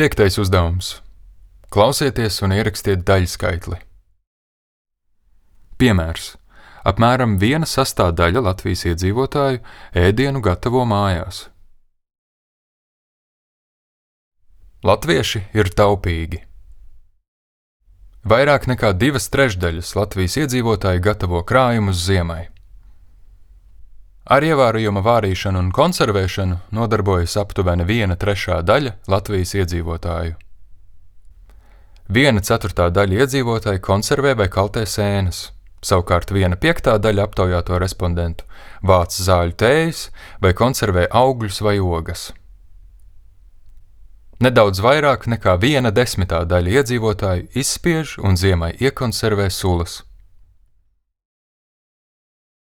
5. uzdevums. Klausieties un ierakstiet daļskaitli. Piemērs. Apmēram 1/6 Latvijas iedzīvotāju ēdienu gatavo mājās. Latvieši ir taupīgi. Vairāk nekā 2/3 Latvijas iedzīvotāju gatavo krājumus ziemai. Ar ievārījuma vārīšanu un konservēšanu nodarbojas aptuveni 1/3 Latvijas iedzīvotāju. 1/4 iedzīvotāji konservē vai kaltē sēnes, savukārt 1/5 aptaujāto respondentu vāc zāļu tējas vai konservē augļus vai ogas. Nedaudz vairāk nekā 1/10 iedzīvotāju izspiež un ziemai iekonservē sulas.